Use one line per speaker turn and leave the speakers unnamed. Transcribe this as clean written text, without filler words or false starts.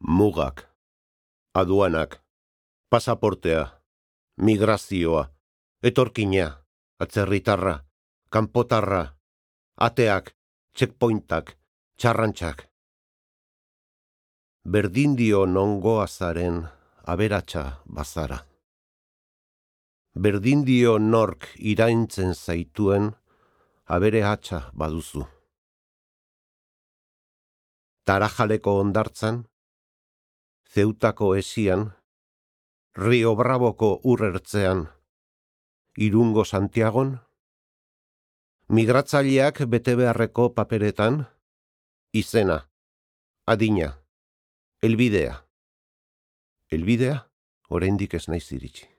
Mugak, aduanak, pasaportea, migrazioa, etorkina, atzerritarra, kanpotarra, ateak, checkpointak, txarrantxak. Berdin dio nongo azaren aberatsa bazara. Berdin dio nork iraintzen zaituen abere hatxa baduzu. Tarajaleko ondartzan, Zeutako esian, Rio Braboko urrertzean, Irungo Santiagon, migratzaileak bete beharreko paperetan, izena, adina, helbidea. Helbidea, oraindik ez naiz iritsi.